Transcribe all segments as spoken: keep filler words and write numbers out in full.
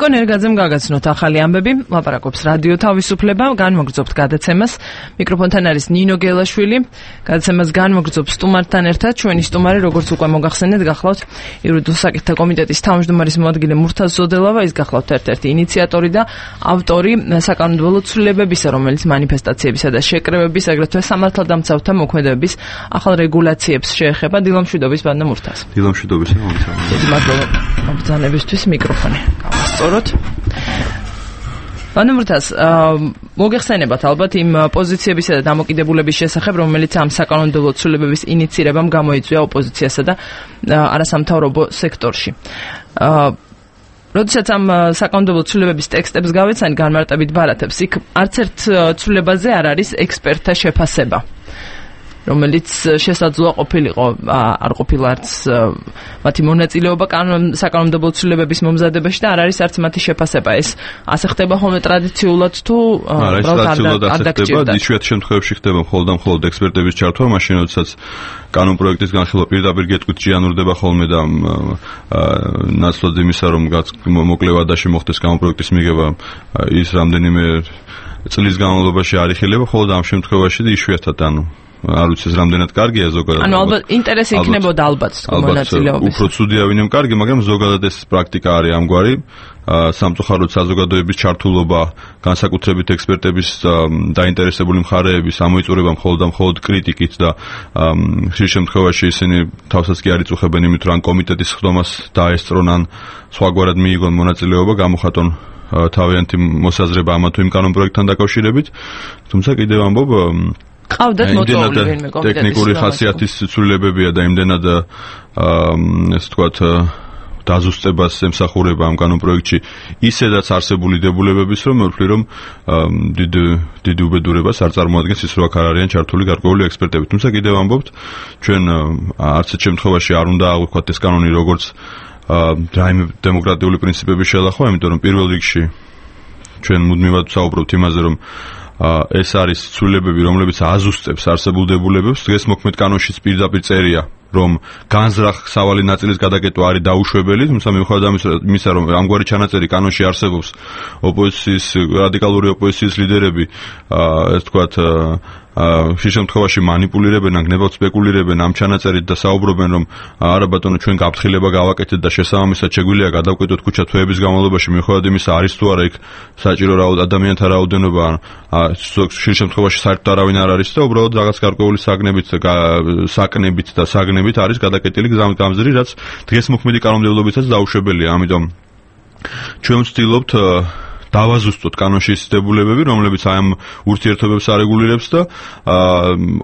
ნიკო ნერგაძემ გაგაცნოთ ახალი ამბები, ლაპარაკობს რადიო თავისუფლება, განმოგრძობთ გადაცემას. მიკროფონთან არის ნინო გელაშვილი. გადაცემას განმოგრძობს სტუმართან ერთად. ჩვენი სტუმარი, როგორც უკვე მოგახსენეთ, გახლავთ იურიდიულ საკითხთა კომიტეტის თავმჯდომარის მოადგილე მურთაზ ზოდელავა, ის გახლავთ ერთ-ერთი ინიციატორი და ავტორი საკანონმდებლო ცვლილებებისა, რომელიც მანიფესტაციებისა და შეკრებების, აგრეთვე სამართალდამცავთა მოქმედებების ახალ რეგულაციებს შეეხება. დილამშვიდობის ბანდა მურთაზ. დილამშვიდობის მომცემ. მადლობა ბრძანებისთვის მიკროფონი გავასწოროთ. ბანდა მურთაზ, მოგეხსენებათ ალბათ იმ პოზიციებისა და დამოკიდებულების შესახებ, რომელიც ამ საკანონმდებლო ცვლილებების ინიცირებამ გამოიწვია ოპოზიციასა და არასამთავრობო სექტორში. როდესაც ამ საკანონმდებლო ცვლილებების ტექსტებს გავეცანი განმარტებით ბარათებს, იქ არც ერთ ცვლილებაზე არ არის ექსპერტთა შეფასება, რომელიც შესაძლოა ყოფილიყო, არ ყოფილა არც მათი მონაწილეობა საკანონმდებლო ცვლილებების მომზადებაში და არ არის არც მათი შეფასება. ეს ასე ხდება ხოლმე ტრადიციულად თუ ტრადიციულად ასე ხდება, იშვიათ შემთხვევებში ხდება მხოლოდ და მხოლოდ ექსპერტების ჩართვა, მაშინ როდესაც კანონ პროექტის განხილვა პირდაპირ გეტყვით ჭიანურდება ხოლმე და ნაცვლად იმისა, რომ მოკლე ვადაში მოხდეს კანონ პროექტის მიღება, ის რამდენიმე წლის განმავლობაში არ იხილება, მხოლოდ ამ შემთხვევაში და იშვიათად ანუ არ ვიცი ეს რამდენად კარგია ზოგადად. ანუ ალბათ ინტერესი იქნებოდა ალბათ მონაწილეობის. უფრო ცუდია ვინმე კარგი, მაგრამ ზოგადად ეს პრაქტიკა არის ამგვარი. სამწუხაროდ საზოგადოების ჩართულობა, განსაკუთრებით ექსპერტების დაინტერესებული მხარეების ამოიწურება მხოლოდ და მხოლოდ კრიტიკით და ხშირ შემთხვევაში ისინი თავსაც კი არ იწუხებენ იმით, რომ კომიტეტის ხდომას დაესწრონ ან სხვაგვარად მიიღონ მონაწილეობა, გამოხატონ თავიანთი მოსაზრება ამა თუ იმ კანონ პროექტთან დაკავშირებით. თუმცა კიდევ ამბობ ყავდათ მოტოვებული ვინმე კომიტეტის ტექნიკური ხასიათის ცვლილებებია და იმდენად ესე ვთქვათ დაზუსტებას ემსახურება ამ კანონ პროექტში ისედაც არსებული დებულებების, რომ მოვთვლი რომ დიდ დიდ უბედურებას არ წარმოადგენს ის, რომ აქ არ არიან ჩართული გარკვეული ექსპერტები. თუმცა კიდევ ამბობთ, ჩვენ არც ერთ შემთხვევაში არ უნდა აღვიქვათ ეს კანონი როგორც რაიმე დემოკრატიული პრინციპების შელახვა, იმიტომ რომ პირველ რიგში ჩვენ მუდმივად ვსაუბრობთ იმაზე, რომ ეს არის ცვლილებები, რომლებიც აზუსტებს არსებულ დებულებებს. დღეს მოქმედ კანონშიც პირდაპირ წერია, რომ განზრახ სავალი ნაწილის გადაკეტვა არის დაუშვებელი, თუმცა მიუხედავად ამისა, რომ ამგვარი ჩანაწერი კანონში არსებობს, ოპოზიციის რადიკალური ოპოზიციის ლიდერები, ესე ვთქვათ, ხშირ შემთხვევაში манипуლირებენ, გნებავთ სპეკულირებენ ამ ჩანაწერით და საუბრობენ, რომ არა ბატონო, ჩვენ გაფრთხილება გავაკეთეთ და შესაბამისად შეგვიძლია გადავკვეთოთ ქუჩა თვეების განმავლობაში, მიუხედავად იმისა, არის თუ არა იქ საჭირო ადამიანთა რაოდენობა, ხშირ შემთხვევაში საერთოდ არავინ არ არის და უბრალოდ რაღაც გარკვეული საგნებით, საკნებით და საგნებით არის გადაკეტილი გამზირი, რაც დღეს მოქმედი კანონმდებლობითაც დაუშვებელია. ამიტომ ჩვენ ვცდილობთ დავაზუსტოთ კანონში ის დებულებები, რომლებიც აი ამ ურთიერთობებს არეგულირებს და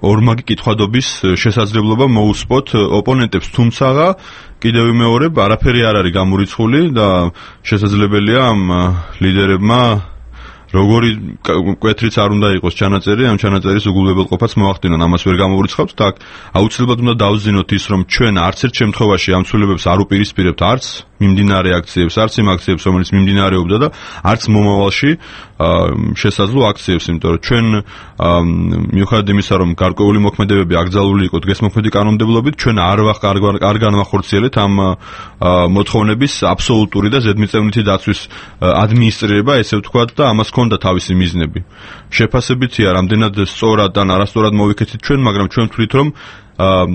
ორმაგი კითხვადობის შესაძლებლობა მოუსპოთ ოპონენტებს, თუმცა კიდევ ვიმეორებ, არაფერი არ არის გამორიცხული და შესაძლებელია ამ ლიდერებმა როგორი კვეთრიც არ უნდა იყოს ჩანაწერი, ამ ჩანაწერის უგულებელყოფაც მოახდინონ, ამას ვერ გამოვრიცხავთ და აუცილებლად უნდა დავზინოთ ის, რომ ჩვენ არც ერთ შემთხვევაში ამ ცვლილებებს არ უპირისპირებთ არც მიმდინარე აქციებს, არც იმ აქციებს, რომელიც მიმდინარეობდა და არც მომავალში შესაძლო აქციებს, იმიტომ რომ ჩვენ მიუხედავად იმისა, რომ გარკვეული მოქმედებები აკრძალული იყო დღეს მოქმედი კანონმდებლობით, ჩვენ არ არ განვახორციელეთ ამ მოთხოვნების აბსოლუტური და ზედმიწევნითი დაცვის ადმინისტრირება, ესე ვთქვათ, და ამას ჰქონდა თავისი მიზნები. შეფასებითია, რამდენად სწორად ან არასწორად მოვიქცეთ ჩვენ, მაგრამ ჩვენ ვთვლით, რომ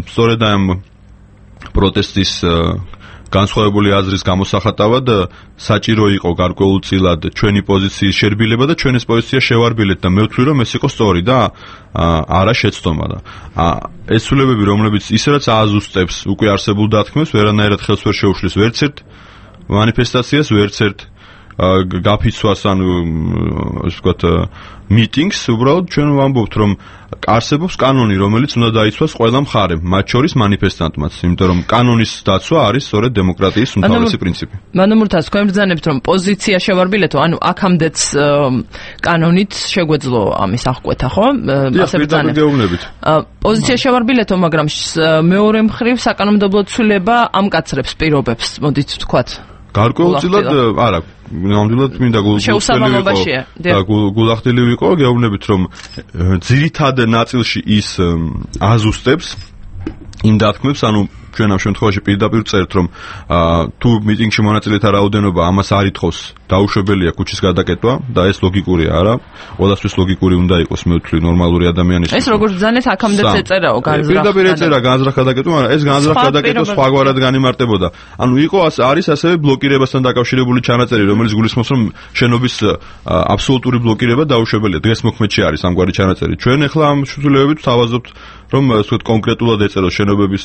სწორედ ამ პროტესტის განსხვავებული აზრის გამოსახატავად საჭირო იყო გარკვეულწილად ჩვენი პოზიციის შერბილება და ჩვენ ეს პოზიცია შევარბილეთ და მე ვთვლი, რომ ეს იყო სწორი და არა შეცდომა და ეს ცვლილებები, რომლებიც ისედაც ააზუსტებს უკვე არსებულ დათქმებს, ვერანაირად ხელს ვერ შეუშლის ვერც ერთ манифестациას, ვერც ერთ გაფიცვას, ანუ ასე ვთქვათ, მიტინგს, უბრალოდ ჩვენ ვამბობთ, რომ არსებობს კანონი, რომელიც უნდა დაიცვას ყველა მხარემ, მათ შორის манифестантმაც, იმიტომ რომ კანონის დაცვა არის სწორედ დემოკრატიის უმთავრესი პრინციპი. მანუ მურთაზ, თქვენ ბრძანებთ, რომ პოზიცია შევარბილეთო, ანუ აქამდეც კანონით შეგვეძლო ამის აღკვეთა, ხო? ასე ბრძანებთ. პოზიცია შევარბილეთო, მაგრამ მეორე მხრივ საკანონმდებლო ცვლილება ამკაცრებს პირობებს, მოდით ვთქვათ. გარკვეულწილად არა, ნამდვილად მინდა გულახდილი ვიყო, გეუბნებით, რომ ძირითად ნაწილში ის აზუსტებს იმ დათქმებს, ანუ ჩვენ ამ შემთხვევაში პირდაპირ წერთ, რომ თუ მიტინგში მონაწილეთა რაოდენობა ამას არ ითხოვს, დაუშვებელია ქუჩის გადაკეტვა და ეს ლოგიკურია, არა? ყველასთვის ლოგიკური უნდა იყოს, მე ვთვლი ნორმალური ადამიანის. ეს როგორც ბრძანეთ, აქამდეც ეწერაო განზრახ. პირდაპირ ეწერა განზრახ გადაკეტვა, მაგრამ ეს განზრახ გადაკეტვა სხვაგვარად განიმარტებოდა. ანუ იყო არის ასევე ბლოკირებასთან დაკავშირებული ჩანაწერი, რომელიც გულისხმობს, რომ შენობის აბსოლუტური ბლოკირება დაუშვებელია. დღეს მოქმედში არის ამგვარი ჩანაწერი. ჩვენ ახლა ამ შესრულებით თავაზობთ, რომ ასე ვთქვათ კონკრეტულად ეწეროს შენობების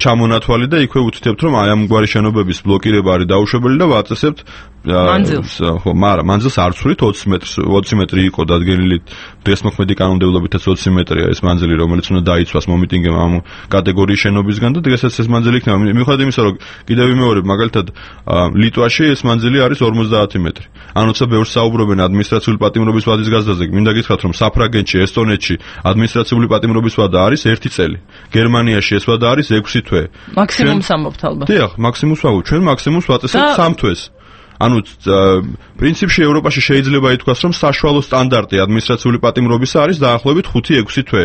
ჩამონათვალი და იქვე უთითებთ, რომ აი ამგვარი შენობების ბლოკირება არის დაუშვებელი და ვაწესებთ მანძილს. ხო, მაგრამ მანძილს არ ვცვლით ოცი მეტრს, ოცი მეტრი იყო დადგენილი დღეს მოქმედი კანონმდებლობითაც ოცი მეტრია ეს მანძილი, რომელიც უნდა დაიცვას მომიტინგემ ამ კატეგორიის შენობისგან და დღესაც ეს მანძილი იქნება. მიუხედავად იმისა, რომ კიდევ ვიმეორებ, მაგალითად ლიტვაში ეს მანძილი არის ორმოცდაათი მეტრი. ანუ ცა ბევრს საუბრობენ ადმინისტრაციული პატიმრობის ვადის გაზრდაზე. მინდა გითხრათ, რომ საფრანგეთში, ესტონეთში ადმინისტრაციული პატიმრობის ვადა არის ერთი წელი. გერმანიაში ეს ვადა არის ექვსი თვე. მაქსიმუმს ამბობთ ალბათ. დიახ, მაქსიმუმს ვაგობ. ჩვენ მაქსიმუმს ვაწესებთ სამ თვეს. ანუ პრინციპში ევროპაში შეიძლება ითქვას, რომ საშუალო სტანდარტი ადმინისტრაციული პატიმრობისა არის დაახლოებით ხუთი ექვსი თვე.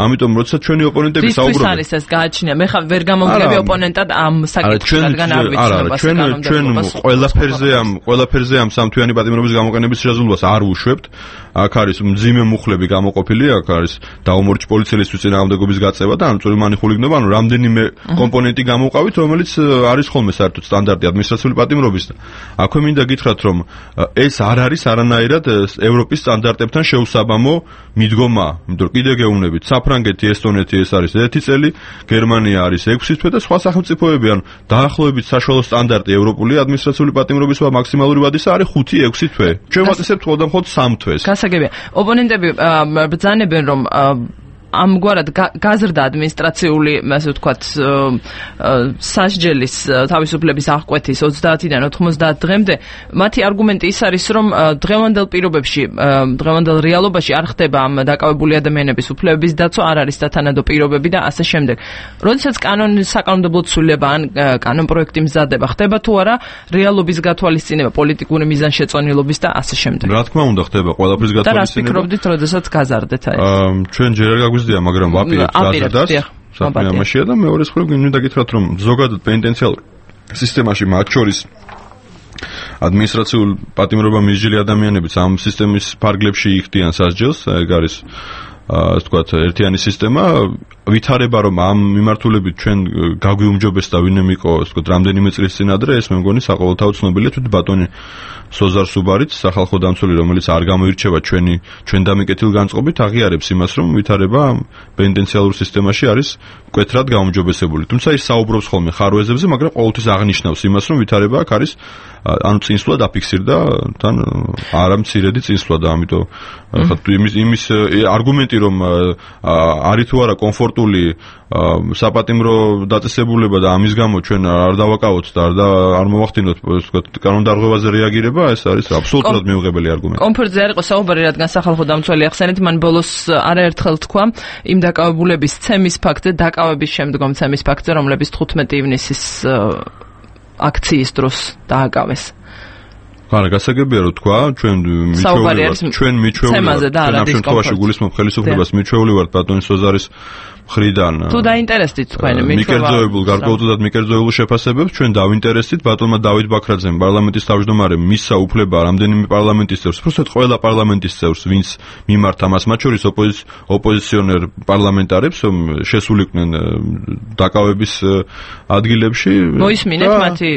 ამიტომ როცა ჩვენი ოპონენტები საუბრობენ, ვის არის ეს გააჩნია? მე ხა ვერ გამომგები ოპონენტად ამ საკითხში, რადგან არ ვიცნობ ჩვენ ჩვენ ყველაფერზე ამ ყველაფერზე ამ სამთვიანი პატიმრობის გამოყენების შესაძლებლობას არ უშვებთ. აქ არის მძიმე მუხლები გამოყოფილი, აქ არის დაუმორჩ პოლიციელისთვის წინააღმდეგობის გაწევა და ამ წვრილმანი ხულიგნობა, ანუ რამდენიმე კომპონენტი გამოვყავით, რომელიც არის ხოლმე საერთოდ სტანდარტი ადმინისტრაციული პატიმრობის და აქვე მინდა გითხრათ, რომ ეს არ არის არანაირად ევროპის სტანდარტებთან შეუსაბამო მიდგომა, იმიტომ რომ კიდე გეუბნებით, საფრანგეთი, ესტონეთი ეს არის ერთი წელი, გერმანია არის ექვსი თვე და სხვა სახელმწიფოები, ანუ დაახლოებით საშუალო სტანდარტი ევროპული ადმინისტრაციული პატიმრობის და მაქსიმალური ვადისა არის ხუთი ექვსი თვე. ჩვენ ვაწესებთ მხოლოდ მხოლოდ სამ თვეს. გასაგებია. ოპონენტები ბრძანებენ, რომ ამგვარად გაზრდა ადმინისტრაციული, ასე ვთქვათ, სასჯელის თავისუფლების აღკვეთის ოცდაათიდან ოთხმოცდაათ დღემდე, მათი არგუმენტი ის არის, რომ დღევანდელ პირობებში, დღევანდელ რეალობაში არ ხდება ამ დაკავებული ადამიანების უფლებების დაცვა, არ არის დათანადო პირობები და ასე შემდეგ. როდესაც კანონი საკანონმდებლო ცვლილება ან კანონპროექტი მზადდება, ხდება თუ არა რეალობის გათვალისწინება, პოლიტიკური მიზანშეწონილობის და ასე შემდეგ. რა თქმა უნდა, ხდება ყველაფრის გათვალისწინება. და რას ფიქრობდით, როდესაც გაზარდეთ აი? ჩვენ ჯერ არ გაგვიზრდია, მაგრამ ვაპირებთ გაზრდას. საქმე ამაშია და მეორე მხრივ მინდა გითხრათ, რომ ზოგადად პენიტენციალურ სისტემაში მათ შორის ადმინისტრაციულ პატიმრობა მისჯილი ადამიანებიც ამ სისტემის ფარგლებში იხდიან სასჯელს, ეგ არის ასე ვთქვათ, ერთიანი სისტემა, ვითარება რომ ამ მიმართულებით ჩვენ გაგვიუმჯობეს და ვინმე იყო, ასე ვთქვათ, რამდენიმე წლის წინ ადრე, ეს მე მგონი საყოველთაო ცნობილია, თვით ბატონი სოზარ სუბარიც, სახალხო დამცველი, რომელიც არ გამოირჩევა ჩვენი ჩვენ დამიკეთილ განწყობით, აღიარებს იმას, რომ ვითარება პენიტენციალურ სისტემაში არის მკვეთრად გაუმჯობესებული. თუმცა ის საუბრობს ხოლმე ხარვეზებზე, მაგრამ ყოველთვის აღნიშნავს იმას, რომ ვითარება აქ არის ანუ წინსვლა დაფიქსირდა, თან არა მცირედი წინსვლა და ამიტომ ხა იმის იმის არგუმენტი რომ არის თუ არა კომფორტული საპატიმრო დაწესებულება და ამის გამო ჩვენ არ დავაკავოთ და არ მოვახდინოთ, ასე ვთქვათ, კანონდარღვევაზე რეაგირება, ეს არის აბსოლუტურად მიუღებელი არგუმენტი. კომფორტზე არ იყო საუბარი, რადგან სახალხო დამცველი ახსენეთ, მან ბოლოს არაერთხელ თქვა იმ დაკავებულების ცემის ფაქტზე, დაკავების შემდგომ ცემის ფაქტზე, რომლებიც თხუთმეტი ივნისის აქციის დროს დააკავეს. არა, გასაგებია რომ თქვა, ჩვენ მიჩვეულივართ, ჩვენ მიჩვეულივართ, ამ შემთხვევაში გულისხმობ ხელისუფლებას, მიჩვეულივართ ბატონი სოზარის მხრიდან. თუ დაინტერესდით თქვენი მიჩვევა. მიკერძოებულ, გარკვეულწილად მიკერძოებულ შეფასებებს ჩვენ დავინტერესდით ბატონმა დავით ბაქრაძემ, პარლამენტის თავმჯდომარემ მისცა უფლება რამდენიმე პარლამენტის წევრს, უბრალოდ ყველა პარლამენტის წევრს, ვინც მიმართა მას, მათ შორის ოპოზიციონერ პარლამენტარებს შესულიყვნენ დაკავების ადგილებში. მოისმინეთ მათი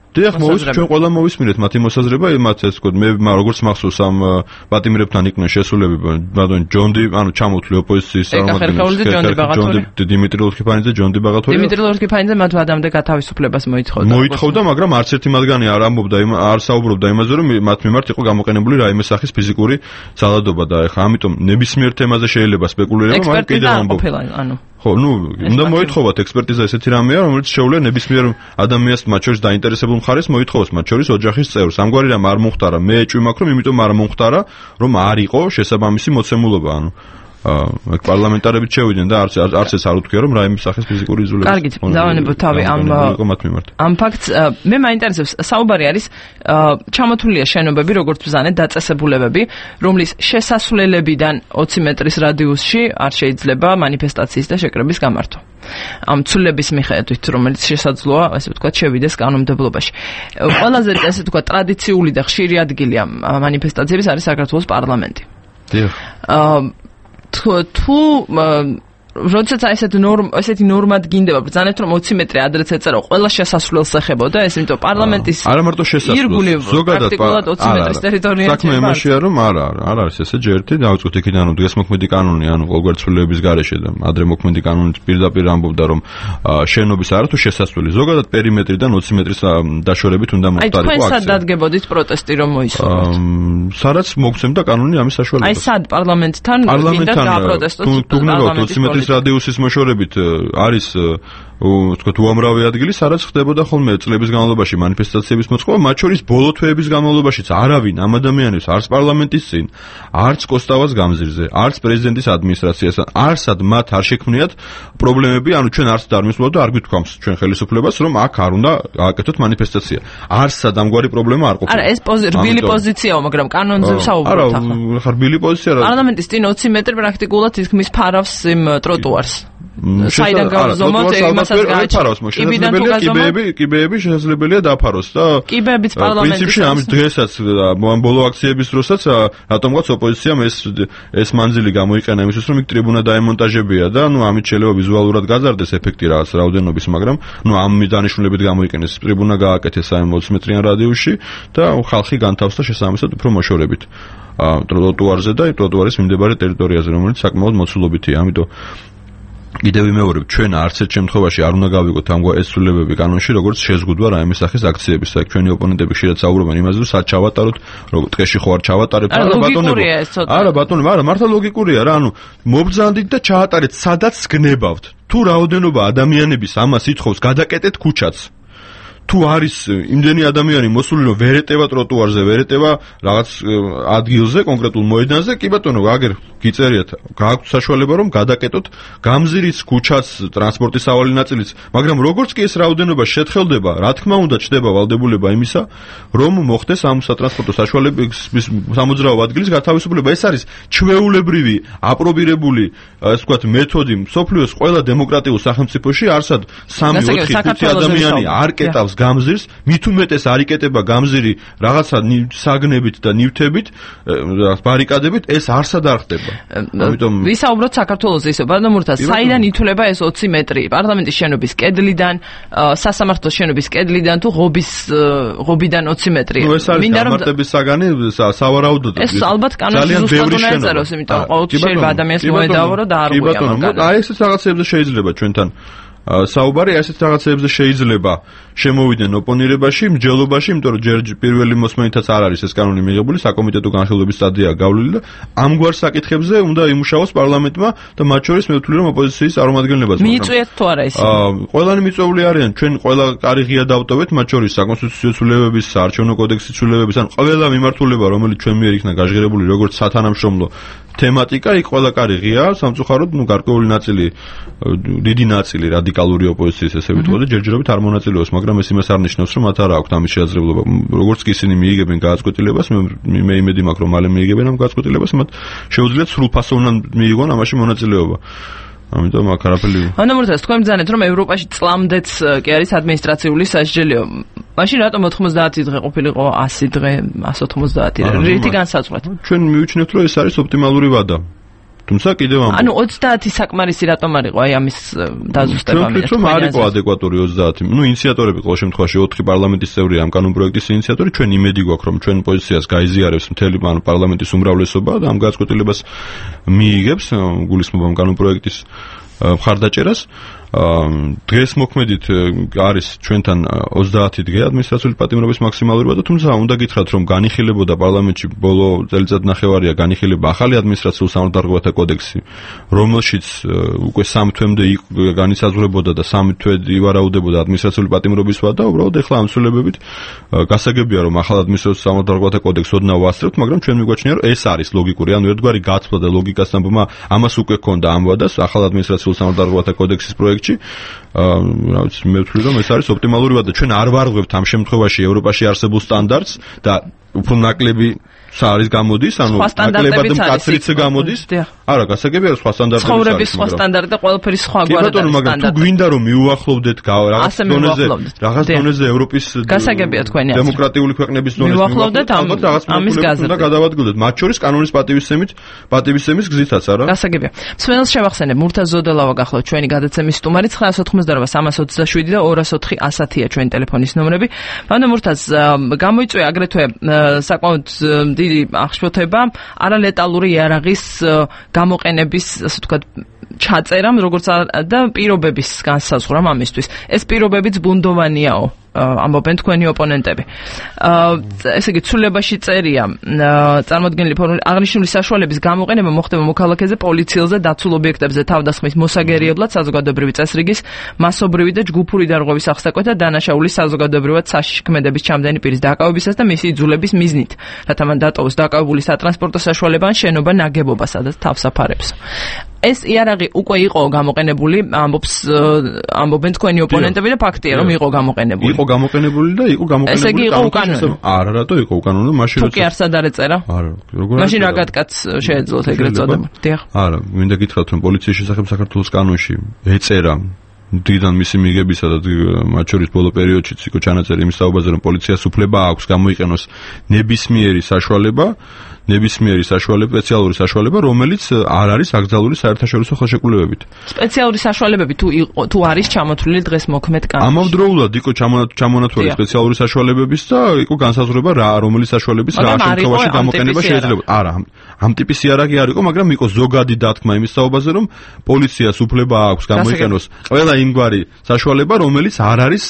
დიახ, მოვისმინეთ, ჩვენ ყველა მოვისმინეთ მათი მოსაზრება, მათ ეს ვთქვათ, მე როგორც მახსოვს ამ პატიმრებთან იყვნენ შესულები ბატონ ჯონდი, ანუ ჩამოთვლი ოპოზიციის წარმომადგენლები, დიმიტრი ლორქიფანიძე, ჯონდი ბაღათორი. დიმიტრი ლორქიფანიძე მათ ვადამდე გათავისუფლებას მოითხოვდა. მოითხოვდა, მაგრამ არც ერთი მათგანი არ ამბობდა, არ საუბრობდა იმაზე, რომ მათ მიმართ იყო გამოყენებული რაიმე სახის ფიზიკური ძალადობა და ეხა ამიტომ ნებისმიერ თემაზე შეიძლება სპეკულირება, მაგრამ კიდევ ამბობ. ანუ ხო, ნუ, უნდა მოითხოვათ ექსპერტიზა ესეთი რამეა, რომელიც შეუძლია ნებისმიერ ადამიანს, მათ შორის დაინტერესებულ მხარეს მოითხოვოს, მათ შორის ოჯახის წევრს. ამგვარი რამ არ მომხდარა, მე ეჭვი მაქვს, რომ იმიტომ არ მომხდარა, რომ არ იყო შესაბამისი მოცემულობა, ანუ აა პარლამენტარებიც შევიდნენ და არც არც ეს არ უთქვია რომ რაიმე სახის ფიზიკური იზოლაცია. კარგით, დავანებოთ თავი ამ ამ ფაქტს. მე მაინტერესებს, საუბარი არის ჩამოთვლილია შენობები, როგორც ბრძანეთ, დაწესებულებები, რომლის შესასვლელებიდან ოცი მეტრის რადიუსში არ შეიძლება მანიფესტაციის და შეკრების გამართვა. ამ ცვლილების მიხედვით, რომელიც შესაძლოა, ასე ვთქვათ, შევიდეს კანონმდებლობაში. ყველაზე ასე ვთქვათ, ტრადიციული და ხშირი ადგილი ამ მანიფესტაციების არის საქართველოს პარლამენტი. დიახ. აა თუ როდესაც ესეთ ნორმა ესეთი ნორმა დგინდება, ბრძანეთ რომ ოცი მეტრი ადრეც ეწერა, ყველა შესასვლელს ეხებოდა ეს, იმიტომ პარლამენტის არა მარტო შესასვლელს, ზოგადად ოცი მეტრის ტერიტორია. საქმე იმაშია რომ არა, არა არის ესე ჯერტი, დავიწყოთ იქიდან რომ დღესმოქმედი კანონი, ანუ ყოველგვარი ცვლილების გარეშე და ადრე მოქმედი კანონით პირდაპირ ამბობდა რომ შენობის არა თუ შესასვლელი, ზოგადად პერიმეტრიდან ოცი მეტრის დაშორებით უნდა მოხდარიყო აქცია. აი თქვენ სად დადგებოდით პროტესტი რომ მოისურვოთ? სადაც მოგცემდა კანონი ამის საშუალებას. აი სად პარლამენტთან გინდა გააპროტესტოთ? ოცი მეტრის რადიუსის მოშორებით არის ვთქვათ უამრავი ადგილი, სადაც ხდებოდა ხოლმე წლების განმავლობაში მანიფესტაციების მოწყობა, მათ შორის ბოლო თვეების განმავლობაშიც არავინ ამ ადამიანებს არც პარლამენტის წინ, არც კოსტავას გამზირზე, არც პრეზიდენტის ადმინისტრაციასთან, არსად მათ არ შექმნიათ პრობლემები, ანუ ჩვენ არც არ მისვლავთ და არ გვითქვამს ჩვენ ხელისუფლებას, რომ აქ არ უნდა გააკეთოთ მანიფესტაცია. არსად ამგვარი პრობლემა არ ყოფილა. არა, ეს რბილი პოზიციაა, მაგრამ კანონზე ვსაუბრობთ ახლა. არა, რბილი პოზიცია რა. პარლამენტის წინ ოცი მეტრი პრაქტიკულად თითქმის ფარავს იმ ტროტუარს. საიდან გავზომოთ იმასაც გააჩეროს შესაძლებელია კიბეები კიბეები შესაძლებელია დაფაროს და კიბეებიც პარლამენტის პრინციპში ამ დღესაც ამ ბოლო აქციების დროსაც რატომღაც ოპოზიციამ ეს ეს მანძილი გამოიყენა იმისთვის რომ იქ ტრიბუნა დაემონტაჟებია და ნუ ამით შეიძლება ვიზუალურად გაზარდეს ეფექტი რაღაც რაოდენობის მაგრამ ნუ ამ დანიშნულებით გამოიყენეს ტრიბუნა გააკეთეს საერთოდ ოცი მეტრიან რადიუსში და ხალხი განთავსდა შესაბამისად უფრო მოშორებით ტროტუარზე და ტროტუარის მიმდებარე ტერიტორიაზე რომელიც საკმაოდ მოცულობითია ამიტომ კიდევ ვიმეორებ, ჩვენ არც ერთ შემთხვევაში არ უნდა გავიგოთ ამგვარ ეს ცვლილებები კანონში, როგორც შეზღუდვა რაიმე სახის აქციების. აქ ჩვენი ოპონენტები ხშირად საუბრობენ იმაზე, რომ სად ჩავატაროთ, რომ ტყეში ხო არ ჩავატარებთ, არა ბატონებო. არა ბატონებო, არა მართლა ლოგიკურია რა, ანუ მობრძანდით და ჩაატარეთ, სადაც გნებავთ. თუ რაოდენობა ადამიანების ამას ითხოვს, გადაკეტეთ ქუჩაც. თუ არის იმდენი ადამიანი მოსული რომ ვერ ეტევა ტროტუარზე, ვერ ეტევა რაღაც ადგილზე, კონკრეტულ მოედანზე, კი ბატონო, აგერ გიწერიათ, გააქვთ საშუალება რომ გადაკეტოთ გამზირის ქუჩას, ტრანსპორტის სავალი ნაწილიც, მაგრამ როგორც კი ეს რაოდენობა შეთხელდება, რა თქმა უნდა ჩდება ვალდებულება იმისა, რომ მოხდეს ამ სატრანსპორტო საშუალების სამოძრაო ადგილის გათავისუფლება. ეს არის ჩვეულებრივი, აპრობირებული, ასე ვთქვათ, მეთოდი მსოფლიოს ყველა დემოკრატიულ სახელმწიფოში, არსად სამი ოთხი ხუთი ადამიანი არ კეტავს გამზირს, მით უმეტეს არ იკეტება გამზირი რაღაცა საგნებით და ნივთებით, ბარიკადებით, ეს არსად არ ხდება. ამიტომ ვისაუბროთ საქართველოზე ისე, ბატონო მურთაზ, საიდან ითვლება ეს ოცი მეტრი? პარლამენტის შენობის კედლიდან, სასამართლოს შენობის კედლიდან თუ ღობის ღობიდან ოცი მეტრი? ნუ ეს არის გამარტების საგანი, სავარაუდოდ. ეს ალბათ კანონში ზუსტად უნდა ეწეროს, იმიტომ ყოველთვის შეიძლება ადამიანს მოედავო და არ უღია მაგალითად. აი ესეც რაღაცებზე შეიძლება ჩვენთან საუბარი ასეთ რაღაცებზე შეიძლება შემოვიდნენ ოპონირებაში, მსჯელობაში, იმიტომ რომ ჯერ პირველი მოსმენითაც არ არის ეს კანონი მიღებული, საკომიტეტო განხილვების სტადია გავლილი და ამგვარ საკითხებზე უნდა იმუშაოს პარლამენტმა და მათ შორის მე ვთვლი რომ ოპოზიციის წარმომადგენლებაც. მიიწვიეთ თუ არა ისინი? აა, ყველანი მიწვეული არიან, ჩვენ ყველა კარი ღია დავტოვეთ, მათ შორის საკონსტიტუციო ცვლილებების, საარჩევნო კოდექსის ცვლილებების, ან ყველა მიმართულება, რომელიც ჩვენ მიერ იქნა გაჟღერებული როგორც სათანამშრომლო თემატიკა, იქ ყველა კარი ღია, სამწუხაროდ, ნუ გარკვეული ნაწილი, დიდი ნაწილი რადიკალური ოპოზიციის ესე ვიტყოდე, ჯერჯერობით არ მონაწილეობს, მაგრამ ეს იმას არ ნიშნავს, რომ მათ არ აქვთ ამის შესაძლებლობა. როგორც კი ისინი მიიგებენ გააცკოტილებას, მე მე იმედი მაქვს, რომ მალე მიიგებენ ამ გააცკოტილებას, მათ შეუძლიათ სრულფასოვნად მიიღონ ამაში მონაწილეობა. ამიტომ აქ არაფერი. ანუ მურთაზ, თქვენ ბრძანეთ, რომ ევროპაში წლამდეც კი არის ადმინისტრაციული სასჯელო. მაშინ რატომ ოთხმოცდაათი დღე ყოფილიყო ასი დღე, ასი ოცდაათი? რითი განსაზღვრეთ? ჩვენ მივიჩნევთ, რომ ეს არის ოპტიმალური ვადა. თუმცა კიდევ ამ ანუ ოცდაათი საკმარისი რატომ არ იყო აი ამის დაზუსტება? მე ვთქვი, რომ არ იყო ადეკვატური ოცდაათი. ნუ ინიციატორები ყოველ შემთხვევაში ოთხი პარლამენტის წევრია ამ კანონპროექტის ინიციატორი, ჩვენ იმედი გვაქვს, რომ ჩვენ პოზიციას გაიზიარებს მთელი პარლამენტის უმრავლესობა და ამ გაწყვეტილებას მიიღებს, გულისხმობ ამ კანონპროექტის მხარდაჭერას. დღეს მოქმედით არის ჩვენთან ოცდაათი დღე ადმინისტრაციული პატიმრობის მაქსიმალურობა და თუმცა უნდა გითხრათ რომ განიხილებოდა პარლამენტში ბოლო წელიწად ნახევარია განიხილება ახალი ადმინისტრაციულ სამართალდაღობათა კოდექსი რომელშიც უკვე სამ თვემდე განისაზღვრებოდა და სამ თვე ივარაუდებოდა ადმინისტრაციული პატიმრობის ვადა უბრალოდ ეხლა ამ ცვლილებებით გასაგებია რომ ახალ ადმინისტრაციული სამართალდაღობათა კოდექსს ოდნავ ვასწრებთ მაგრამ ჩვენ მიგვაჩნია რომ ეს არის ლოგიკური ანუ ერთგვარი გაცვლა და ლოგიკასთან ბმა ამას უკვე ქონდა ამ ვადას ახალ ადმინისტრაციულ სამართალდაღობათა კოდექსის პროექტში რა ვიცი მე ვთვლი რომ ეს არის ოპტიმალური ვადა ჩვენ არ ვარღვევთ ამ შემთხვევაში ევროპაში არსებულ სტანდარტს და უფრო ნაკლები არის გამოდის, ანუ ნაკლებად მკაცრიც გამოდის. არა, გასაგებია სხვა სტანდარტები. ცხოვრების სხვა სტანდარტი და ყველაფერი სხვაგვარად არის. ბატონო, მაგრამ თუ გვინდა რომ მიუახლოვდეთ რაღაც დონეზე, რაღაც დონეზე ევროპის გასაგებია თქვენი აზრი. დემოკრატიული ქვეყნების დონეზე მიუახლოვდეთ ამის გაზრდა. უნდა გადავადგილდეთ, მათ შორის კანონის პატივისცემით, პატივისცემის გზითაც, არა? გასაგებია. მსმენელს შევახსენებ, მურთაზ ზოდელავა გახლავთ ჩვენი გადაცემის სტუმარი ცხრაას ოთხმოცდაოთხ სამას ოცდაშვიდი და ორას ოთხი ასათია ჩვენი ტელეფონის ნომრები. ბატონო მურთაზ, გამოიწვია აგრეთვე საკმაოდ დიდი აღშფოთება არალეტალური იარაღის გამოყენების, ასე ვთქვათ, ჩაწერამ, როგორც და პირობების განსაზღვრამ ამისთვის. ეს პირობებიც ბუნდოვანიაო, ამბობენ თქვენი ოპონენტები. ესე იგი, ცვლილებაში წერია წარმოდგენილი ფორმული აღნიშნული საშუალების გამოყენება მოხდება მოქალაქეზე, პოლიციელზე, დაცულ ობიექტებზე თავდასხმის მოსაგერიებლად, საზოგადოებრივი წესრიგის, მასობრივი და ჯგუფური დარღვევის ახსაკვეთ და დანაშაულის საზოგადოებრივად საშიშქმედების ჩამდენი პირის დაკავებისას და მისი იძულების მიზნით, რათა მან დატოვოს დაკავებული სატრანსპორტო საშუალება ან შენობა ნაგებობა, სადაც თავს აფარებს. ეს იარაღი უკვე იყო გამოყენებული, ამბობს ამბობენ თქვენი ოპონენტები და ფაქტია რომ იყო გამოყენებული. იყო გამოყენებული და იყო გამოყენებული. ესე იგი იყო უკანონო. არა, რატო იყო უკანონო? მაშინ როცა თუ კი არ სადარე წერა? არა, როგორ მაშინ რა გატკაც შეეძლოთ ეგრეთ წოდება. დიახ. არა, მინდა გითხრათ რომ პოლიციის შესახებ საქართველოს კანონში ეწერა დიდან მისი მიგებისა და მათ შორის ბოლო პერიოდშიც იყო ჩანაწერი იმის საუბარზე რომ პოლიციას უფლება აქვს გამოიყენოს ნებისმიერი საშუალება ნებისმიერი საშუალება, სპეციალური საშუალება, რომელიც არ არის აკრძალული საერთაშორისო ხელშეკრულებებით. სპეციალური საშუალებები თუ თუ არის ჩამოთვლილი დღეს მოქმედ კანონში. ამავდროულად იყო ჩამონათვლილი სპეციალური საშუალებების და იყო განსაზღვრება რა რომელი საშუალების რა შემთხვევაში გამოყენება შეიძლება. არა, ამ ტიპის იარაღი არ იყო, მაგრამ იყო ზოგადი დათქმა იმის საუბარზე, რომ პოლიციას უფლება აქვს გამოიყენოს ყველა იმგვარი საშუალება, რომელიც არ არის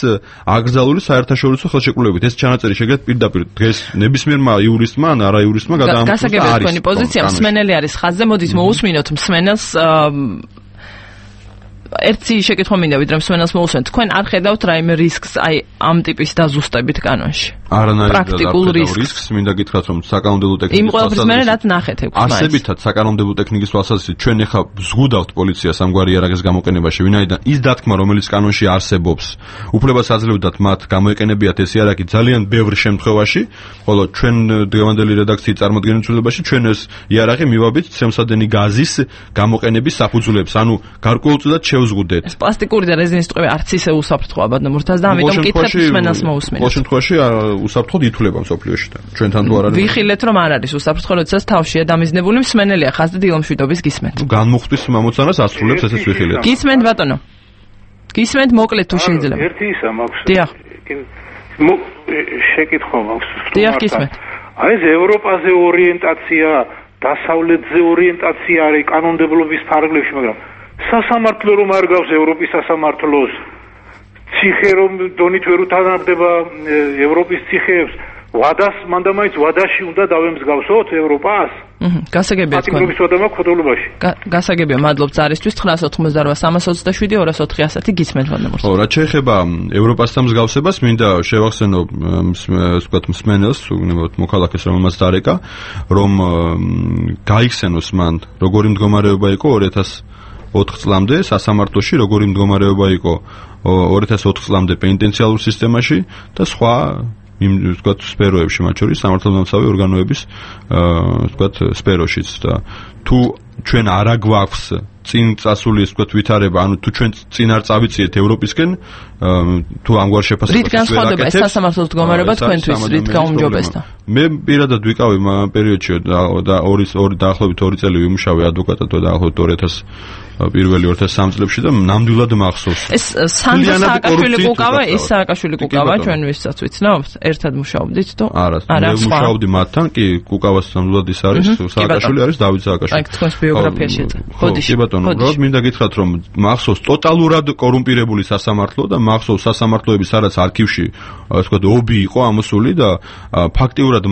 აკრძალული საერთაშორისო ხელშეკრულებებით. ეს ჩანაწერი შეგეთ პირდაპირ დღეს ნებისმიერმა იურისტმა ან არა იურისტმა გადაამტკიცა. გასაგებია თქვენი პოზიცია, მსმენელი არის ხაზზე, მოდით მოусმინოთ მსმენელს ერთი შეკითხვა მინდა ვიდრე მსმენელს მოусმენთ. თქვენ არ ხედავთ რაიმე რისკს აი ამ ტიპის დაზუსტებით კანონში? პრაქტიკულ რისკს მინდა გითხრათ რომ საკანონმდებლო ტექნიკის იმ ყველაფრის მერე რაც ნახეთ ექვს მაინც. არსებითად საკანონმდებლო ტექნიკის თვალსაზრისით ჩვენ ეხლა ზღუდავთ პოლიციას ამგვარი იარაღის გამოყენებაში, ვინაიდან ის დათქმა რომელიც კანონში არსებობს, უფლებას აძლევდათ მათ გამოეყენებიათ ეს იარაღი ძალიან ბევრ შემთხვევაში, ხოლო ჩვენ დღევანდელი რედაქციის წარმოდგენილ ცვლილებაში ჩვენ ეს იარაღი მივაბით ცემსადენი გაზის გამოყენების საფუძვლებს, ანუ გარკვეულწილად შევზღუდეთ. ეს პლასტიკური და რეზინის ტყვე არც ისე უსაფრთხოა ბატონო მურთაზ და ამიტომ კითხეთ მსმენელს მოусმინოთ. ყოველ შემთხვევაში უსაფრთხოდ ითვლება მსოფლიოში და ჩვენთან თუ არ არის. ვიხილეთ რომ არ არის უსაფრთხო, როდესაც თავშია დამიზნებული მსმენელია ხაზზე დილომშვიდობის გისმენთ. განმუხტვის მომოცანას ასრულებს ესეც ვიხილეთ. გისმენთ ბატონო. გისმენთ მოკლედ თუ შეიძლება. ერთი ისა მაქვს. დიახ. შეკითხვა მაქვს. დიახ გისმენთ. აი ეს ევროპაზე ორიენტაცია, დასავლეთზე ორიენტაცია არის კანონმდებლობის ფარგლებში, მაგრამ სასამართლო რომ არ გავს ევროპის სასამართლოს, ციხე რომ დონით ვერ უთანამდება ევროპის ციხეებს, ვადას მანდამაინც ვადაში უნდა დავემსგავსოთ ევროპას? აჰა, გასაგებია თქვენ. პატიმრობის ვადა მაქვს ხოდოლობაში. გასაგებია, მადლობთ ზარისთვის ცხრაას ოთხმოცდაოთხ სამას ოცდაშვიდი ორას ოთხი ასათი გისმენთ ვანდამორს. ხო, რაც შეეხება ევროპასთან მსგავსებას, მინდა შევახსენო ვთქვათ მსმენელს, უგნებოდ მოქალაქეს რომელმაც დარეკა, რომ გაიხსენოს მან როგორი მდგომარეობა იყო ორი ათას ოთხ წლამდე სასამართლოში, როგორი მდგომარეობა იყო ორი ათას ოთხ წლამდე პენიტენციალურ სისტემაში და სხვა იმ ვთქვათ სფეროებში, მათ შორის სამართალდამცავი ორგანოების ვთქვათ სფეროშიც და თუ ჩვენ არ აგვაქვს წინ წასული ვთქვათ ვითარება, ანუ თუ ჩვენ წინ არ წავიწიეთ ევროპისკენ, თუ ამგვარ შეფასებას რით განსხვავდება ეს სასამართლოს მდგომარეობა თქვენთვის, რით გაუმჯობესდა? მე პირადად ვიყავი ამ პერიოდში და ორი ორი დაახლოებით ორი წელი ვიმუშავე ადვოკატად და დაახლოებით ორი ათას პირველი ორ ათას სამი წლებში და ნამდვილად მახსოვს. ეს სანდრო სააკაშვილი კუკავა, ეს სააკაშვილი კუკავა ჩვენ ვისაც ვიცნობთ, ერთად მუშაობდით თუ არა, მე მუშაობდი მათთან, კი კუკავას ნამდვილად ის არის, სააკაშვილი არის დავით სააკაშვილი. აი, თქვენს ბიოგრაფიაში. ხოდიში. კი ბატონო, უბრალოდ მინდა გითხრათ, რომ მახსოვს ტოტალურად კორუმპირებული სასამართლო და მახსოვს სასამართლოების სადაც არქივში, ასე ვთქვათ, ობი იყო ამოსული და ფაქტიურად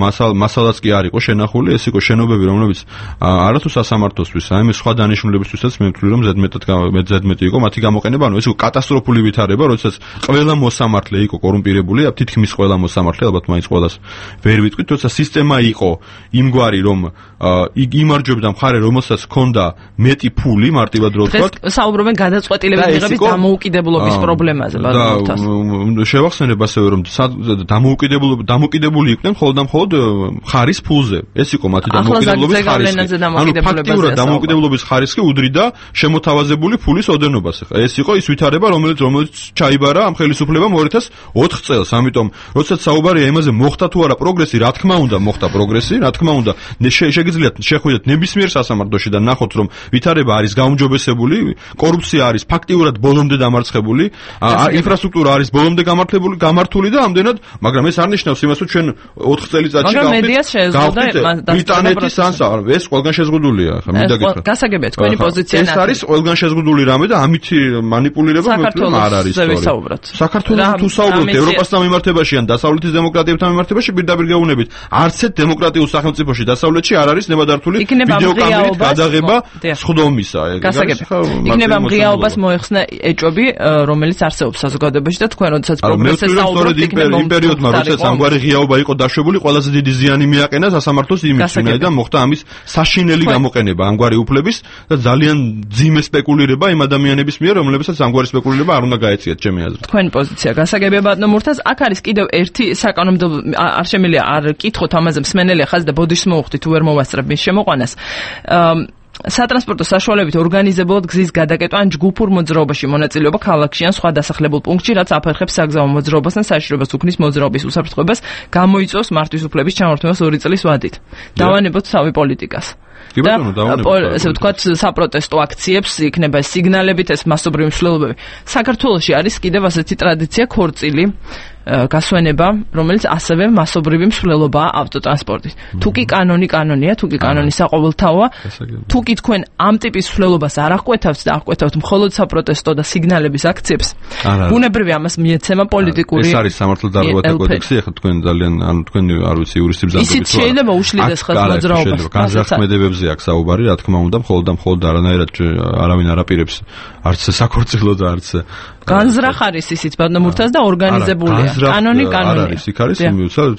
მასალაც კი არ იყო შენახული, ეს იყო შენობები, რომლებიც არათუ სასამართლოსთვის, აი მე სხვა დანიშნულებისთვისაც მე ვთვლი, რომ ზედმეტად ზედმეტი იყო მათი გამოყენება, ანუ ეს იყო კატასტროფული ვითარება, როდესაც ყველა მოსამართლე იყო კორუმპირებული, თითქმის ყველა მოსამართლე, ალბათ მაინც ყველას ვერ ვიტყვით, როცა სისტემა იყო იმგვარი, რომ იმარჯვებდა მხარე, რომელსაც ჰქონდა მეტი ფული, მარტივად რო ვთქვათ. საუბრობენ გადაწყვეტილების მიღების დამოუკიდებლობის პრობლემაზე, ბატონო. შევახსენებ ასევე, რომ დამოუკიდებლობა დამოუკიდებული იყვნენ მხოლოდ და მხოლოდ ხარის ფულზე. ეს იყო მათი დამოუკიდებლობის ხარისხი. ანუ ფაქტიურად დამოუკიდებლობის ხარისხი უდრიდა შემოთავაზებული ფულის ოდენობას. ეს იყო ის ვითარება, რომელიც რომელიც ჩაიბარა ამ ხელისუფლებამ ორ ათას ოთხ წელს. ამიტომ, როდესაც საუბარია იმაზე, მოხდა თუ არა პროგრესი, რა თქმა უნდა, მოხდა პროგრესი, რა თქმა უნდა, შეგიძლიათ შეხვიდეთ ნებისმიერ სასამართლოში და ნახოთ, რომ ვითარება არის გაუმჯობესებული, კორუფცია არის ფაქტიურად ბოლომდე დამარცხებული, ინფრასტრუქტურა არის ბოლომდე გამართლებული, გამართული და ამდენად, მაგრამ ეს არ ნიშნავს იმას, რომ ჩვენ ოთხ წელიწადში გავხდით ბრიტანეთის ანსა, ეს ყველგან შეზღუდულია, ხა მინდა გითხრათ. გასაგებია თქვენი პოზიცია. ეს არის ყველგან შეზღუდული რამე და ამით манипулირება მეტყვი არ არის სწორად. საქართველოს თუ საუბრობთ ევროპასთან მიმართებაში ან დასავლეთის დემოკრატიებთან მიმართებაში პირდაპირ გეუბნებით, არც ერთ დემოკრატიულ სახელმწიფოში დასავლეთში არ არის ნებადართული ვიდეოკამერით გადაღება სხდომისა. იქნება მღიაობას მოეხსნა ეჭვები, რომელიც არსებობს საზოგადოებაში და თქვენ როდესაც პროგრესზე საუბრობთ, იქნება იმ პერიოდმა, როდესაც ამგვარი ღიაობა იყო დაშვებული, ყველაზე დიდი ზიანი მიაყენა სასამართლოს იმიჯს, ვინაიდან მოხდა ამის საშინელი გამოყენება ამგვარი უფლების და ძალიან ძიმე სპეკულირება იმ ადამიანების მიერ, რომლებსაც ამგვარი სპეკულირება არ უნდა გაეციათ, ჩემი აზრით. თქვენი პოზიცია გასაგებია ბატონო მურთაზ, აქ არის კიდევ ერთი საკანონმდებლო არ შემიძლია არ კითხოთ ამაზე მსმენელია ხაზი და ბოდიშს მოუხდით თუ ვერ მოვასწრებ მის შემოყვანას. სატრანსპორტო საშუალებებით ორგანიზებულად გზის გადაკეტვა ან ჯგუფურ მოძრაობაში მონაწილეობა ქალაქში ან სხვა დასახლებულ პუნქტში, რაც აფერხებს საგზაო მოძრაობას ან საშვებას უქმნის მოძრაობის უსაფრთხოებას, გამოიწვევს მართვის უფლების ჩამორთმევას ორი წლის ვადით. დავანებოთ თავი პოლიტიკას. და ესე ვთქვათ, საპროტესტო აქციებს იქნება სიგნალებით, ეს მასობრივი მსვლელობები. საქართველოში არის კიდევ ასეთი ტრადიცია ქორწილი გასვენება, რომელიც ასევე მასობრივი მსვლელობაა ავტოტრანსპორტით. თუ კი კანონი კანონია, თუ კი კანონი საყოველთაოა, თუ კი თქვენ ამ ტიპის მსვლელობას არ აღკვეთავთ და აღკვეთავთ მხოლოდ საპროტესტო და სიგნალების აქციებს, ბუნებრივია ამას მიეცემა პოლიტიკური. ეს არის სამართალდარღვევათა კოდექსი, ახლა თქვენ ძალიან, ანუ თქვენ არ ვიცი იურისტი ბრძანდებით. ისიც შეიძლება უშლიდეს ხელს მოძრაობას. განზრახმედებებზე აქვს საუბარი, რა თქმა უნდა, მხოლოდ და მხოლოდ არანაირად არავინ არ აპირებს არც საქორწილო და არც განზრახ არის ისიც ბატონო მურთაზ და ორგანიზებულია. კანონი კანონია. არის, იქ არის,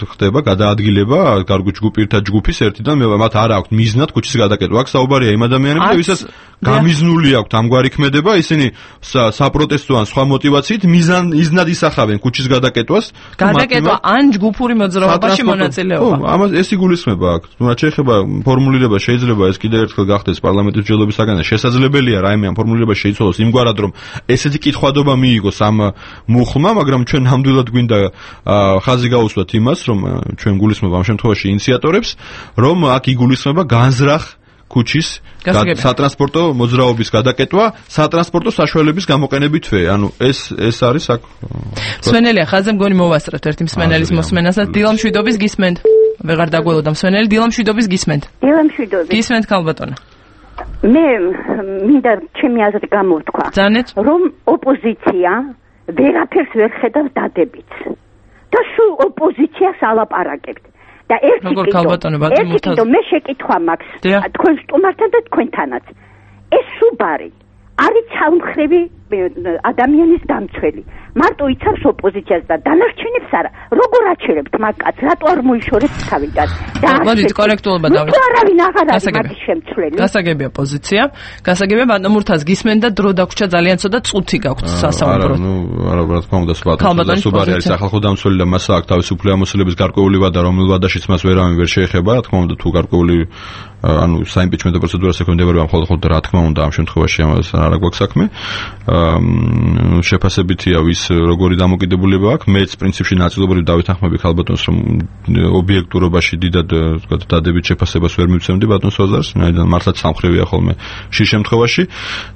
ხდება გადაადგილება გარგო ჯგუფირთა ჯგუფის ერთიდან მათ არ აქვს მიზნად ქუჩის გადაკეტვა. აქ საუბარია იმ ადამიანებზე, ვისაც გამიზნული აქვთ ამგვარი ქმედება, ისინი საპროტესტო ან სხვა мотивაციით მიზან იზნად ისახავენ ქუჩის გადაკეტვას. გადაკეტვა ან ჯგუფური მოძრაობაში მონაწილეობა. ამას ეს იგულისხმება აქ. რაც შეეხება ფორმულირება, შეიძლება ეს კიდევ ერთხელ გახდეს პარლამენტის მსჯელობისაგან. შესაძლებელია რაიმე ამ ფორმულირება შეიცვალოს იმგვარად, რომ ესეთი კითხვადობა მიიღოს ამ მუხლმა, მაგრამ ჩვენ ნამდვილად გვინდა ხაზი გაუსვათ იმას, რომ ჩვენ გულისხმობ ამ შემთხვევაში ინიციატორებს, რომ აქ იგულისხმება განზრახ ქუჩის სატრანსპორტო მოძრაობის გადაკეტვა სატრანსპორტო საშუალების გამოყენებითვე. ანუ ეს ეს არის აქ. მსმენელია ხაზზე მგონი მოვასწრებთ ერთი მსმენელის მოსმენასაც. დილამშვიდობის გისმენთ. ვეღარ დაგველოდა მსმენელი, დილამშვიდობის გისმენთ. დილამშვიდობის. გისმენთ ქალბატონო. მე მინდა ჩემი აზრი გამოვთქვა, რომ ოპოზიცია ვერაფერს ვერ ხედავს დადებით და სულ ოპოზიციას ალაპარაკებთ და ერთი კიდო მე შეკითხვა მაქვს თქვენ სტუმართან და თქვენთანაც, ეს სუბარი არის ცალმხრივი ადამიანის დამცველი, მარტო იცავს ოპოზიციას და დანარჩენებს არა. როგორ აჩერებთ მაგკაც, რატო არ მოიშორებთ თავიდან? და მოდით კორექტულობა დავით. თუ არავინ აღარ არის მაგის შემცვლელი. გასაგებია პოზიცია. გასაგებია ბატონო მურთაზ გისმენ და დრო დაგვრჩა ძალიან ცოტა წუთი გაქვთ სასაუბროდ. არა, ნუ არა, რა თქმა უნდა, სხვა სუბარი არის სახალხო დამცველი და მასა აქვს თავისუფლი ამოსილების გარკვეული ვადა, რომელ ვადაშიც მას ვერავინ ვერ შეეხება, რა თქმა უნდა, თუ გარკვეული ანუ საიმპიჩმენტო პროცედურას ექვემდებარება მხოლოდ მხოლოდ რა თქმა უნდა ამ შემთხვევაში ამას არ აქვს საქმე. შეფასებითია ვის როგორი დამოკიდებულება აქვს. მეც პრინციპში ნაწილობრივ დავეთანხმები ხალბატონს, რომ ობიექტურობაში დიდად ვთქვათ დადებით შეფასებას ვერ მივცემდი ბატონს ვაზარს, რაიდან მართლაც სამხრივია ხოლმე შის შემთხვევაში.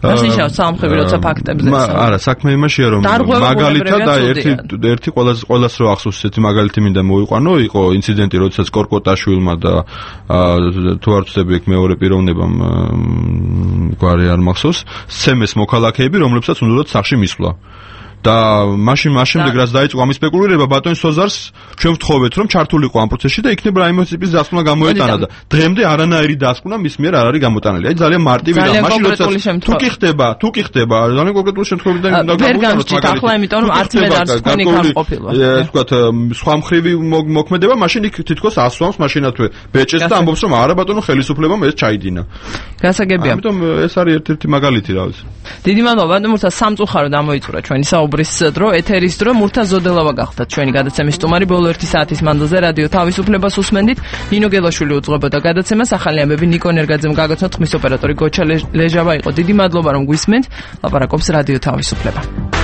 ისე სამხრივი როცა ფაქტებზე. არა, საქმე იმაშია, რომ მაგალითად და ერთი ერთი ყოველას ყოველას რო ახსოვს ესეთი მაგალითი მინდა მოვიყვანო, იყო ინციდენტი, როდესაც კორკოტაშვილმა და თუ არ ვწდები ეგ მეორე პიროვნებამ გვარი არ მახსოვს, სცემეს მოქალაქეები, რომლებსაც უნდათ სახში მისვლა. და მაშინ მაშინდე რაც დაიწყო ამის სპეკულირება ბატონის სოზარს ჩვენ ვთხოვეთ რომ ჩართულიყო ამ პროცესში და იქნებ რაიმე ტიპის დასკვნა გამოეტანა და დღემდე არანაირი დასკვნა მის მიერ არ არის გამოტანილი. აი ძალიან მარტივია მაშინ როცა თუ კი ხდება, თუ კი ხდება ძალიან კონკრეტული შემთხვევებიდან უნდა გამოვიყენოთ მაგალითად. ახლა იმიტომ რომ არც მე არც თქვენი გამყოფილა. ეს ვთქვათ სხვა მხრივი მოქმედება მაშინ იქ თითქოს ასვამს მაშინათვე ბეჭეს და ამბობს რომ არა ბატონო ხელისუფლებამ ეს ჩაიდინა. გასაგებია. ამიტომ ეს არის ერთ-ერთი მაგალითი რა ვიცი. დიდი მადლობა ბატონო მურთა სამწუხაროდ ამოიწურა ჩვენი საუბრის დრო, ეთერის დრო, მურთა ზოდელავა გახდათ ჩვენი გადაცემის სტუმარი. ბოლო ერთი საათის მანძილზე რადიო თავისუფლებას უსმენდით. ნინო გელაშვილი უძღვებოდა გადაცემას, ახალი ამბები ნიკო ნერგაძემ გაგაცნოთ, ხმის ოპერატორი გოჩა ლეჟავა იყო. დიდი მადლობა რომ გვისმენთ. ლაპარაკობს რადიო თავისუფლება.